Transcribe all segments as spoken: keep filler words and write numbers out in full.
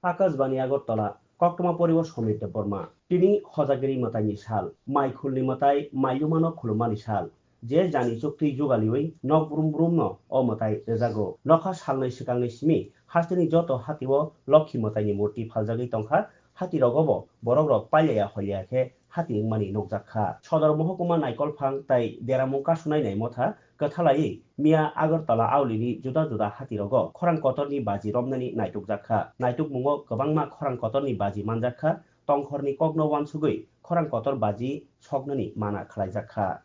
Akashbani Agartala, koktwma poriwo Somir Debbarma. Tini hojagiri mwtaini sal, mai khulni mwtai mailumano khulummani sal. Je jani chuktwi jugaliwi nok brum brumno o mwtai rwjago. Nokha salnwi swkangni simi hasteni joto hatio Lokhi mwtaini murti phaljagwi tongkha, hatirogobo borokrok pailaya hoilaya khe hati wngmani nukjak kha. Sodor mohokuma Naikolphang tai Deramung kasunai nai motha kwthalaiwi miya Agartala aulini juda juda hatirogo khorang kotorni baji romnani naitukjak kha. Naitukmungo kwbangma khorang kotorni baji manjak kha, tongkhorni kokno uansugwi khorang kotor baji soknani mana khlaijak kha.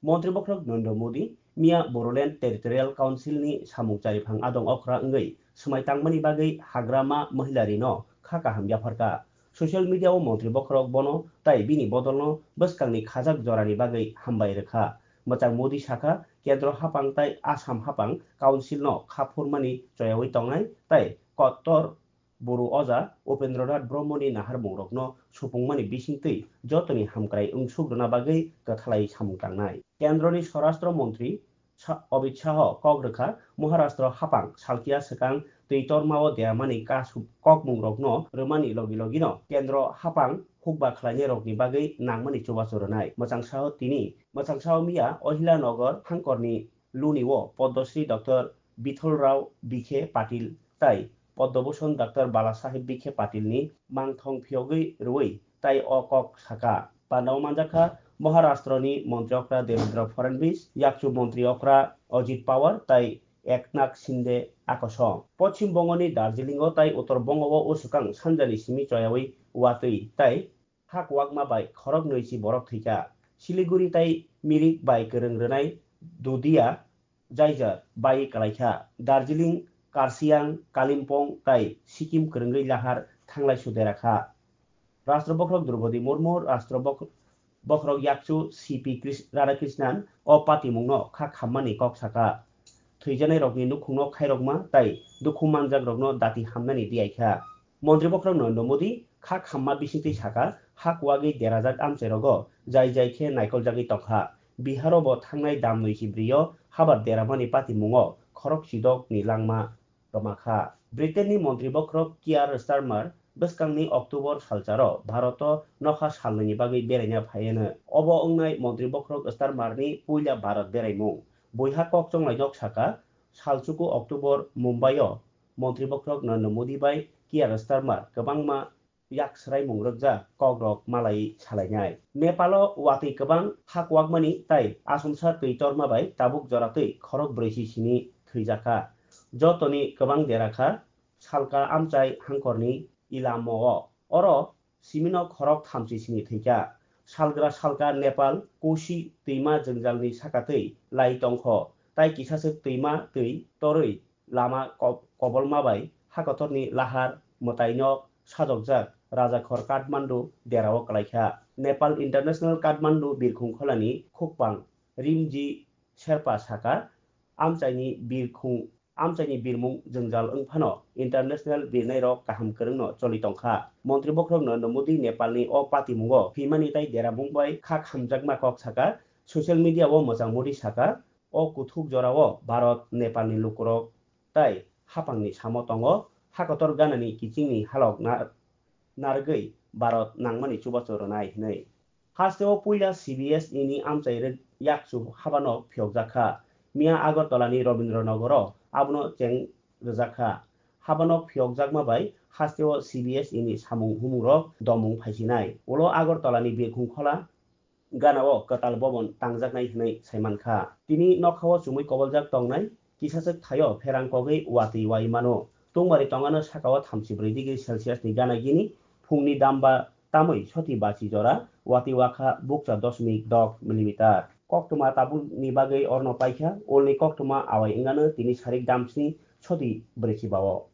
Montri bokhorok Narendra Modi miya Bodoland Territorial Council ni samung chariphang adong okra wngwi swmai tangmani bagwi Hagrama Mahila rino kha kaham yapharkha. Social media o montri bokhorok bono tai bini bodolno bwskangni khajak jorani bagwi hambai rwkha. Mwchang Modi sakha, Kendro haphang tai Assam haphang Council no kha phurmani choyawi tongnai tai kotor Buru oja Upendranath Brahmani naharmungrokno supungmani bisingtwi jotoni hamkrai wngsuk rwna bagwi kwthalai samung tangnai. Kendroni Swarashtra Montri Sa-, Amit Shah kok rwkha, Maharashtra haphang salkia swkang twi tormao deramani kasu-, kokmungrokno rwmani logi logino Kendro haphang hukba khlainairokni bagwi nangmani chubachu rwnai. Mwchang Shah tini, Mwchang Shah miya Ohilanagar hangkorni Luni o Padma Shri Doctor Bithal Rao Bikhe Patil tai Padma Bhushan Doctor Bala Saheb Bikhe Patil ni mangthong phiyogwi rwui tai o kok sakha. Pandao manjakha Maharashtra ni Montri Okra Devendra Fadnavis, Yakchu Montri Okra Ajit Pawar tai Eknath Shinde akosong. Poschim Bongo ni Darjeeling o tai Uttor Bongo o usukang sanjani simi choyawi watwi tai Hak wakma bai khorok nwi si borok thwikha. Siliguri tai mirik bai kwrwng rwnai Dudia jaijar bai kwlaikha. Darjeeling, Karsiang, Kalimpong tai Sikkim kwrwngwi lahar thanglai suderakha. Rashtra bokhorok Droupadi Murmu, Rashtra bokh-, bokhorok yakchu C P Kris-, Radhakrishnan o patimungno kha khammani kok sakha. Thwijanairokni nukhungno khairokma tai dukhu manjakrokno dati hamnani diyaikha. Montri bokhorok Narendra Modi kha khamma bisingtwi sakha, hak wagwi derajak amchairogo jai jai khe naikoljagwi tongkha. Biharo bo thangnai dam nwi si brio habar deramani patimungo khorok chidokni langma rwmakha. Britain ni montri bokhorok Keir Starmer bwskangni October salcharo Bharoto nokha salnwini bagwi beraina phaiano. Obo wngnai montri bokhorok Starmer ni puila Bharat beraimung. Buiha kok chonglainok sakha, salchuku October Mumbai o Montri bokhorok Narendra Modi bai Keir Starmer kwbangma yak swraimung rwkjak kokrok malai salainai. Nepalo watwi kwbang hak wakmani tai asomsa twi torma bai tabuk joratwi khorok brwi si sini thwijakha. Jotoni kwbang derakha salka amchai hangkorni Ilamo o. Oro simino khorok thamchi sini thwikha. Salgra salka Nepal Kosi twima jwngjalni sakatwi lai tongkho, tai kisaswk twima twi torwi lama ko-, kobolma bai hakotorni lahar mwtaino sajokjak rajakhor Kathmandu derao kwlaikha. Nepal International Kathmandu birkhung kholani khukpang Rimji Sherpa sakha, amchaini birkhung, amchaini birmung jwngjal wngphano international birnairok kaham kwrwngno choli tongkha. Montri bokhorok Narendra Modi Nepalni o patimungo phimani tai deramung bai kha khamjakma kok sakha. Social media o mwchang Modi sakha, o kuthuk jorao Bharat Nepalni lukurok tai haphangni samo tongo, hakotor ganani kichingni halok na-, narwgwi Bharat nangmani chubachu rwnai hwnwi. Hasteo puila C B S E ni amchai rwk yakchu habanok phiyokjak kha. Miya Agartala ni Rabindranagar o abono cheng rwjak kha. Habanok phiyokjakma bai hasteo C B S E ni samung humungrok domung phaisinai. Ulo Agartala ni birkhung khola ganao kwtal bobon tangjaknai hwnwi saimankha. Tini nokhao chumui koboljak tongnai, kisachwk thaio pherang kogwi watwi wai mano. Tungmari tongano sakao thamchi brwi degree Celsius ni gana gini, phungni damba tamwi soti bachi jora, watwi wakha bukcha dosmik dok millimeter. Koktwma tabukni bagwi orno paikha, ulni koktwma awai wngano tini sarik damsni soti brwichi bao.